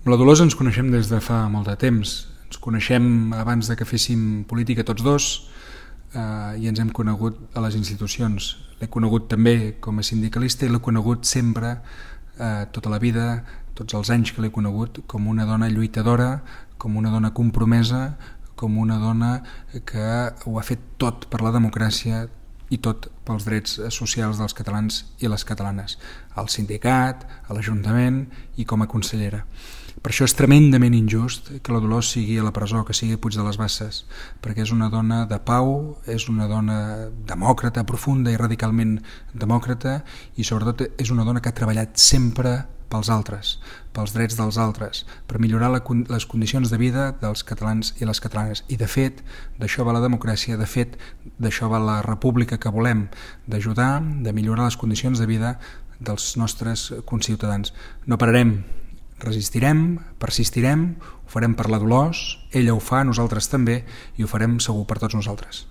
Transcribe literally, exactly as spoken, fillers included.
Amb la Dolors ens coneixem des de fa molt de temps. Ens coneixem abans de que féssim política tots dos eh, i ens hem conegut a les institucions. L'he conegut també com a sindicalista i l'he conegut sempre, eh, tota la vida, tots els anys que l'he conegut, com una dona lluitadora, com una dona compromesa, com una dona que ho ha fet tot per la democràcia i tot pels drets socials dels catalans i les catalanes, al sindicat, a l'Ajuntament i com a consellera. Per això és tremendament injust que la Dolors sigui a la presó, que sigui a Puig de les Basses, perquè és una dona de pau, és una dona demòcrata, profunda i radicalment demòcrata, i sobretot és una dona que ha treballat sempre pels altres, pels drets dels altres, per millorar la, les condicions de vida dels catalans i les catalanes. I de fet, d'això va la democràcia, de fet, d'això va la república que volem, d'ajudar, de millorar les condicions de vida dels nostres conciutadans. No pararem, resistirem, persistirem, ho farem per la Dolors, ella ho fa, nosaltres també, i ho farem segur per tots nosaltres.